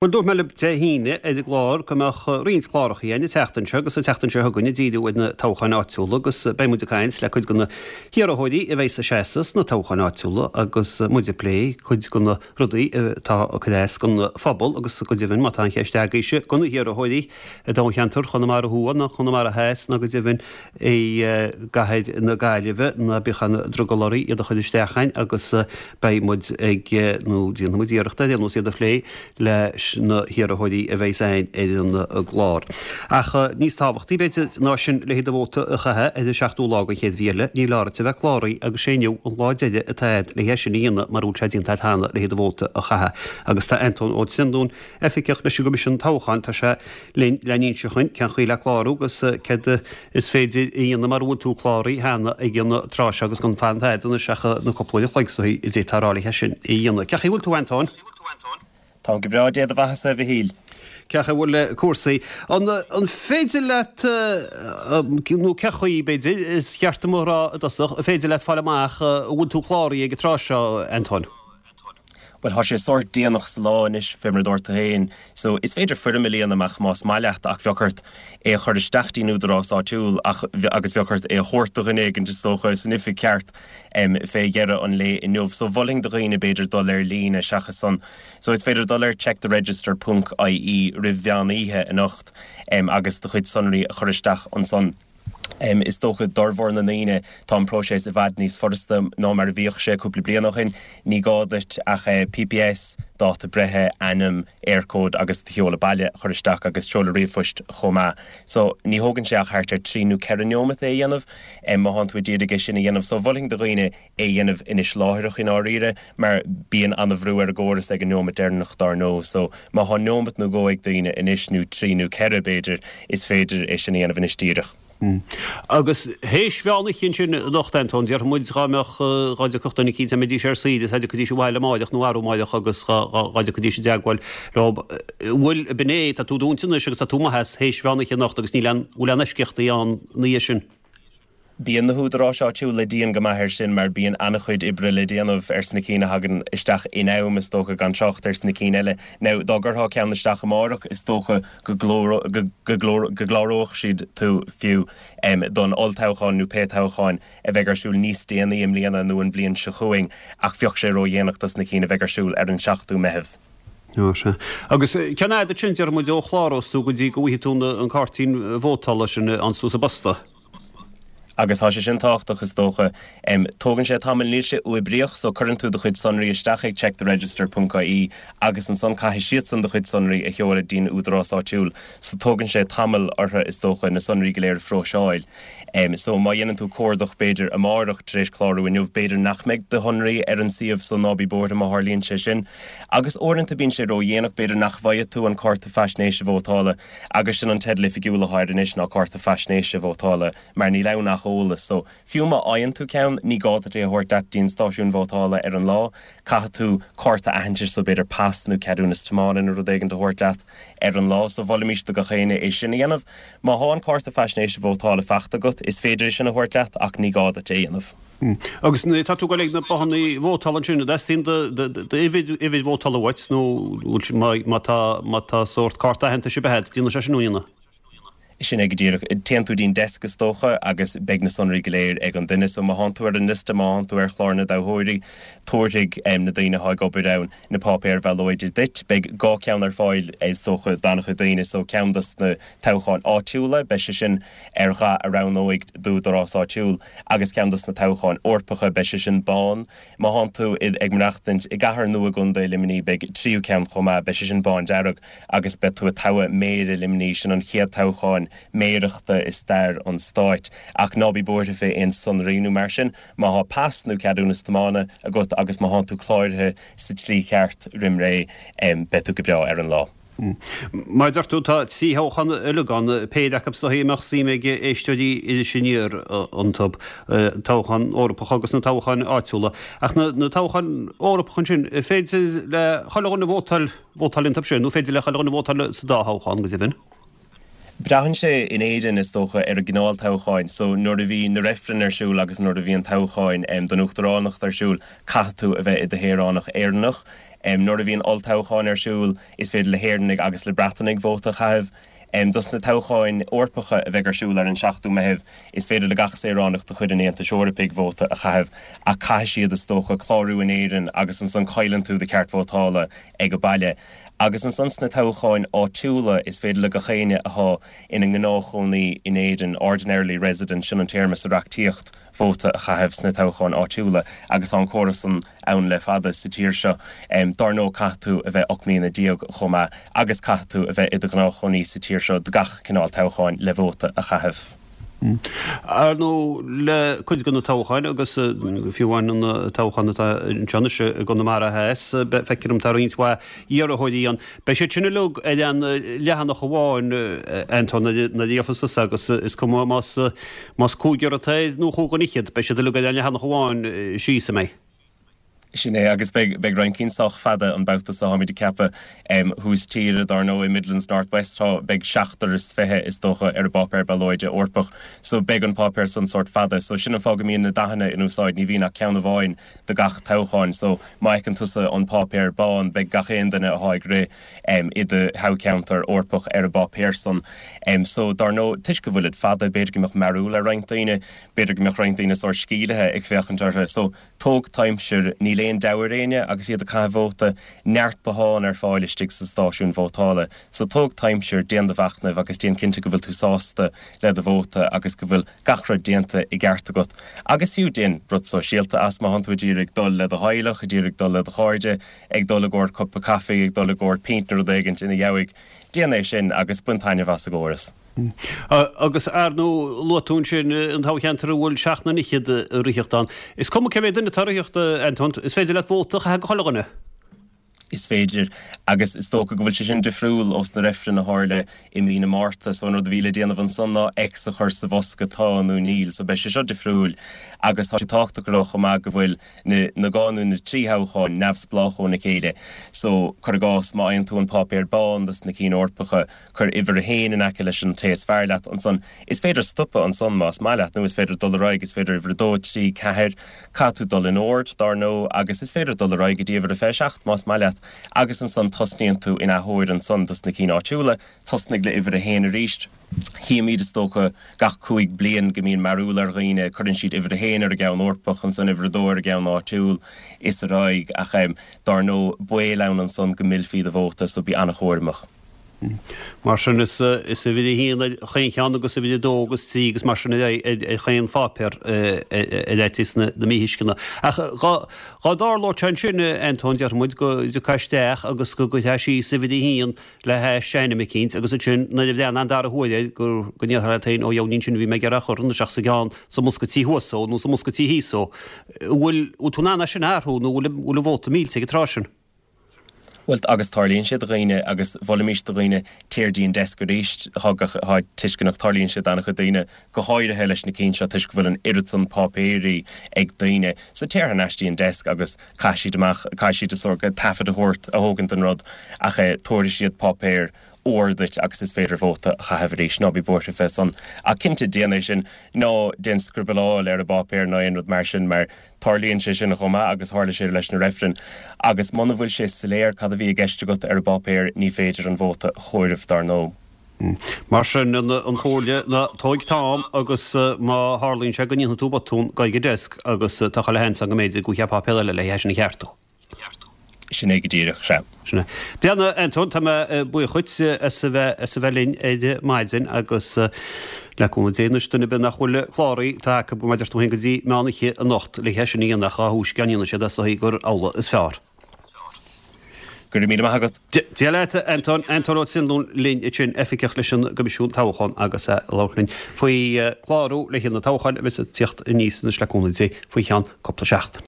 Bhuel, dúirt mé libh Dé hAoine ar an gclár go mbeadh roinnt cláracha againn an tseachtain seo agus an tseachtain seo chugainn ag díriú ar na toghcháin áitiúla agus beidh muid ag caint le cuid de na hiarrthóirí a bheas ag seasamh sna toghcháin áitiúla agus muid ag plé cuid de na rudaí atá ag cur as don phobal agus go deimhin má tá aon cheist agaibhse do na hiarrthóirí i dtoghcheantar Chonamara Thuaidh ná Conamara Theas ná go deimhin i gcathair na Gaillimhe, ná bíodh aon drogall oraibh iad a chur isteach chugainn agus beidh muid ag, nó déanfaidh muid iarracht ar aon nós iad a phlé leis na hiarrthóirí a bheas againn ar an gclár. Ach níos tábhachtaí, b'fhéidir, ná sin, le do vóta a chaitheamh ar an seachtú lá den chéad mhí eile, níl ort ach a bheith cláraithe agus sé inniu an lá deiridh atá agat le hé sin a dhéanamh mura bhfuil sé déanta agat cheana le do vóta a chaitheamh. Agus tá Antóin Ó Trionúin, Oifigeach leis an gCoimisiún Toghcháin, tá sé linn le n-inse dhuinn cén chaoi le clárú agus céard is féidir a dhéanamh mara bhfuil tú cláraithe cheana ag an tráth seo agus gan fanacht fhad anois ach na cúpla uair a chloig is dóichí a d'fhéadfá a rá le hé sin a dhéanamh. Cén chaoi a bhfuil tú, Antóin? Táim go breá, Dé do bheathasa, a Mhichíl. Cén chaoi a bhfuil cúrsaí? An féidir leat, nó cén chaoi, b'fhéidir, is cheart dom a rá i dtosach, an féidir leat fáil amach an bhfuil tú cláraithe ag an tráth seo, Antóin? Bhuel, tá sé sórt déanach sa lá anois, fé mar a dúirt tú féin, so is féidir foirm a líonadh amach más maith leat ach bheadh ort é a chur isteach dtí'n údarás áitiúil ach agus bheadh ort é a thabhairt do dhuine éigin is dócha san oifig ceart fé dheireadh an lae inniu. So mholfainn do dhaoine b'fhéidir dul ar líne seachas san. So is féidir dul ar checktheregister ponc ie roimh mheán oíche anocht agus do chuid sonraí a chur isteach ansan. Is dócha d'fhormhór na ndaoine tá an próiseas i bhfad níos furasta ná mar a bhíodh sé cúpla bliain ó shin. Ní gá duit ach PPS, dáta breithe, ainm, Eircode agus do sheoladh baile a chur isteach agus seoladh ríomhphoist chomh maith. So ní thógann sé ach thart ar trí nó ceithre neomat é a dhéanamh má thánn tú ag iarraidh é sin a dhéanamh. So mholfainn do dhaoine é a dhéanamh anois láithreach i ndáiríre mar bíonn an-bhrú ar an gcóras ag an neomat deireanach dár ndóigh. So má thá neomat nó dhó ag daoine anois nó trí nó ceithre b'fhéidir, is féidir é sin a dhéanamh anois díreach. Agus théis mheán oíche ansin anocht, Antóin, déarfaidh muid dhá mbeadh, dhá dtiocfadh duine eicínt, dá mbeidís ar saoire is dá dtiocfaidís abhaile amáireach nó arú amáireach agus dhá dtiocfaidís i dteagmháil leo, bhuel, b'in é, tá tú dúinte anois agus tá tú amuigh as théis mheán oíche anocht agus níl aon, bhfuil aon eisceachtaí ann ina dhiaidh sin? Bíonn na húdaráis áitiúla dian go maith air sin mar bíonn an-chuid oibre le déanamh ar sna cinn a thagann isteach in am, is dócha, gan trácht ar sna cinn eile. Now, dá gcuirtheá ceann isteach amárach, is dócha go gcláródh siad tú fiú don olltoghchán nó pé toghchán a bheidh ar siúl níos déanaí i mbliana nó an bhliain seo chugainn ach bheadh sé ródhéanach dos na cinn a bheidh ar siúl ar an 7ú Meitheamh. Ó, sea. Agus cén fhad ansin, déarfaidh muid, ó chlárós tú go dtí go bhfaighidh tú an cairtín vótála sin a fhaigheanns tú sa bposta? Agus tá sé sin tábhachtach, is dócha. Tógann sé tamall, níl sé uathoibríoch, so cuireann tú do chuid sonraí isteach ag checktheregister ponc ie agus ansan caithfidh siadsan do chuid sonraí a sheoladh dtí'n údarás áitiúil. So tógann sé tamall orthu, is dócha, na sonraí go léir a phróiseáil. So má dhéanann tú cuardach, b'fhéidir, amárach tar éis clárú inniu, b'fhéidir nach mbeidh do shonraí ar an suíomh, so ná bí buartha má tharlaíonn sé sin. Agus uaireanta bíonn sé ródhéanach, b'fhéidir nach bhfaighidh tú an cárta faisnéise vótála. Agus sin an teideal oifigiúil atá air anois ná Cárta Faisnéise Vótála mar níl ann ach eolas. So, fiú má fhaigheann tú ceann, ní gá duit é a thabhairt leat dtí'n stáisiún vótála ar an lá. Caithfidh tú cárta aitheantais, so b'fhéidir pas nó ceadúnas tiomána nó rud éigin a thabhairt leat ar an lá. So, mholfaimis do gach éinne é sin a dhéanamh. Má thá an Cárta Faisnéise Vótála faighte agat, is féidir é sin a thabhairt leat ach ní gá duit é a dhéanamh. Agus nuair atá tú ag dul ag na bothanna vótála ansin, an dteastaíonn d'uimhir vótála uait nó má tá má tá sórt cárta aitheantais ar bith agat, déanfaidh sé sin uainne? Sin é go díreach. Téann tú dtí'n desk is dócha agus beidh na sonraí go léir ag an duine. So má thánn tú ar an liosta, má thánn tú ar chlár na dtoghthóirí, tabharfaidh na daoine atá ag obair ann na páipéir bhallóide duit. Beidh dhá cheann ar fáil is dócha d'an-chuid daoine. So ceann dos na toghcháin áitiúla, beidh sé sin ar dhath a roghnóidh d'údarás áitiúil. Agus ceann dos na toghcháin Eorpacha, beidh sé sin bán. Má thánn tú ag maireachtaint i gcathair nó i gcontae Luimnigh, beidh tríú ceann chomh maith, beidh sé sin bándearg agus beidh tú ag toghadh méara Luimnigh, sin an chéad toghchán méarachta i stair an stáit. Ach ná bí buartha fé aon sonraí nó mar sin, má thá pas nó ceadúnas tiomána agat agus má thánn tú cláraithe sa tslí cheart roim ré, beidh tú go breá ar an lá. Mar a deir tú, tá trí thoghchán uilig ann, péire acu is dóichí a mbeadh suim ag éisteoirí Iris Aniar iontu, toghchán Eorpach agus na toghcháin áitiúla. Ach na toghcháin Eorpacha ansin, an féidir le chuile dhuine vótáil, vótáil iontu sin, nó féidir le chuile dhuine vótáil sa dá thoghchán, go deimhin? Braitheann sé in Éirinn, is dócha, ar an gcineál toghcháin. So, nuair a bhí na reifrinn ar siúl agus nuair a bhí an toghcháin don uachtaránacht ar siúl, caithfidh tú a bheith i do shaoránach Éireannach. Nuair a bhíonn olltoghchán ar siúl, is féidir le hÉireannaigh agus le Breatanaigh vóta a chaitheamh. Dos na toghcháin Eorpacha a bheidh ar siúl ar an 7ú Meitheamh, is féidir le gach saoránach de chuid an Aontais Eorpaigh vóta a chaitheamh, ach caithfidh siad, is dócha, clárú in Éirinn agus ansan cailleann tú do cheart vótála ag an baile. Agus ansan sna toghcháin áitiúla, is féidir le gach éinne athá ina ngnáthchónaí in Éirinn, ordinarily resident, sin an téarma sa reachtaíocht, vóta a chaitheamh sna toghcháin áitiúla agus tá an córas san ann le fada sa tír seo. Dár ndóigh caithfidh tú a bheith 18 mbliana chomh maith agus caithfidh tú a bheith i do ghnáthchónaí sa tír seo do gach cineál toghcháin le vóta a chaitheamh. Ar ndóigh le cuid de na toghcháin agus fiú amháin an toghchán atá anseo anois i gConamara Theas, feictear dom tá roinnt mhaith iarrthóirí ann. Beidh siad sin uilig ar aon leathanach amháin, Anton, nuair a gheofas tusa agus is cuma más más cúigear atá air nó chúig dhuine fhichead, beidh siad uilig ar aon leathanach amháin síos, an mbeidh? Sin é, agus beidh, beidh roinnt cinn sách fada an babhta seo, táimid ag ceapadh. Thuas tíre, dár ndóigh, Midlands North West, tá, beidh seachtar is fiche, is dócha, ar an bpáipéar ballóide Eorpach. So beidh an páipéar san sórt fada. So sin an fáth go mbíonn na dathanna in úsáid, ní bhíonn ach ceann amháin do gach toghchán. So má fheiceann tusa an páipéar bán, beidh gach aon duine athá ag rith i do thoghcheantar Eorpach ar an bpáipéar san. So dár ndóigh, toisc go bhfuilid fada, b'fhéidir go mbeadh mearúil ar roinnt daoine, b'fhéidir go mbeadh roinnt daoine sórt sceimhlithe ag féachaint orthu. So Tóg t'aimsir, níl aon deabhadh ar éinne agus iad ag caitheamh vóta, neart bothán ar fáil istigh sa stáisiún vótála. So tóg t'aimsir, déan do mhachnamh agus déan cinnte go bhfuil tú sásta le do vóta agus go bhfuil gach rud déanta i gceart agat. Agus fiú déan rud sóisialta as, má thánn tú ag iarraidh dul le do theaghlach, ag iarraidh dul le do chairde, ag dul i gcomhair cupa caife, ag dul i gcomhair pint nó rud éigint ina dheabhaidh, déan é sin agus bain taitneamh as an gcóras. Agus ar ndóigh, luaigh tú ansin an toghcheantar a bhfuil seacht nduine fhichead ag ritheacht ann. Is cuma cé mhéad duine atá ag ritheacht, Anton, is féidir leat vóta a chaitheamh do chuile dhuine. Is féidir, agus is dócha go bhfuil sé sin difriúil ós na reifrinn a tharla i mí na Márta. So an rud a bhí le déanamh ansan ná X a chur sa bhosca tá nó níl. So beidh sé seo difriúil agus tá sé tábhachtach a rá chomh maith go bhfuil na na dhá nó na trí thoghchán neamhspleách óna chéile. So cuir i gcás má fhaigheann tú an páipéar bán dos na cinn Eorpacha, Cuir uimhir a haon in aice leis an té is fearr leat ansan. Is féidir stopadh ansan más maith leat, nó is féidir dul ar aghaidh, is féidir uimhir a dó, trí, ceathair. Caithfidh tú dul in ord, dár ndóigh, agus is féidir dul ar aghaidh go dtí uimhir a 27 más maith leat, agus ansan tosnaíonn tú in athuair ansan dos na cinn áitiúla. Tosnaigh le uimhir a haon arís. Chímid, is dócha, gach cúig bliain go mbíonn mearúil ar dhaoine, cuireann siad uimhir a haon ar an gceann Eorpach, ansan uimhir a dó ar an gceann áitiúil, is ar aghaidh. Ach, dár ndóigh, baol ann ansan go millfí do vóta, so bí an-chúramach. Mar sin, is uimhir a haon ar chaon cheann agus uimhir a dó agus trí agus mar sin ar aghaidh ar chaon pháipéar ar fhaitíos na míthuisceana. Ach dhá dtarlódh sé ansin, Antóin, déarfaidh muid, go dtiocfá isteach agus go gcuirfeá síos uimhir a haon le hais ainm eicínt agus ansin nuair a bhreathnófá an dara huair air go ndéarfá leat féin, ó dheabhail ní sin a bhí mé ag iarraidh a chur isteach sa gceann sa mbosca tí thuas so nó sa mbosca tí thíos so. Bhfuil tú in ann é sin a athrú nó bhfuil an vóta millte ag an tráth sin? Bhuel, agus tarlaíonn sé do dhaoine, agus mholfaimis do dhaoine téir dtí an desk arís, tá tá tuisceanach, tarlaíonn sé d'an-chuid daoine, go háirithe leis na cinn seo toisc go bhfuil an oiread san páipéirí ag daoine. So téir thar n-ais dtí an desk agus caithfidh siad amach, caithfidh siad a sórt taifead a thabhairt, a thógaint den rud ach eh tabharfaidh siad páipéar úr duit agus is féidir vóta a chaitheamh arís, ná bí buartha fé san. Ach cinnte déan é sin, ná déan scriobaláil ar an bpáipéar ná aon rud mar sin mar Tarlaíonn sé sin chomh maith agus tharla sé leis na reifrinn. Agus muna bhfuil sé soiléir cad a bhí i gceist agat ar an bpáipéar ní féidir an vóta a chomhaireamh dar ndóigh. Mar sin, an chomhairle ná tóig t'am agus má tharlaíonn sé go ndéanfaidh tú botún, gabh ag an desk agus tá chuile sheans ann go mb'fhéidir go bhfaighfeá páipéar eile le é sin a cheartú. Sin é go díreach, sea. Sin é. Breathnaigh, Antóin, tá mé buíoch dhuit as a bheith, as a bheith linn ar maidin agus le cúnamh Dé anois, duine ar bith nach bhfuil cláraithe, tá acu, mar a deir tú féin, go dtí meán oíche anocht le é sin a dhéanamh ach dá thúisce a dhéanann siad é is dóigh gur amhlaidh is fearr. Go raibh míle maith agat. Dia leat, Antóin. Antóin Ó Trinlúin linn ansin, oifigeach leis an gCoimisiún Toghcháin agus é ag labhairt linn faoi chlárú le haghaidh na toghcháin a bheas ag tíocht aníos anois le cúnamh Dé faoi cheann cúpla seachtain.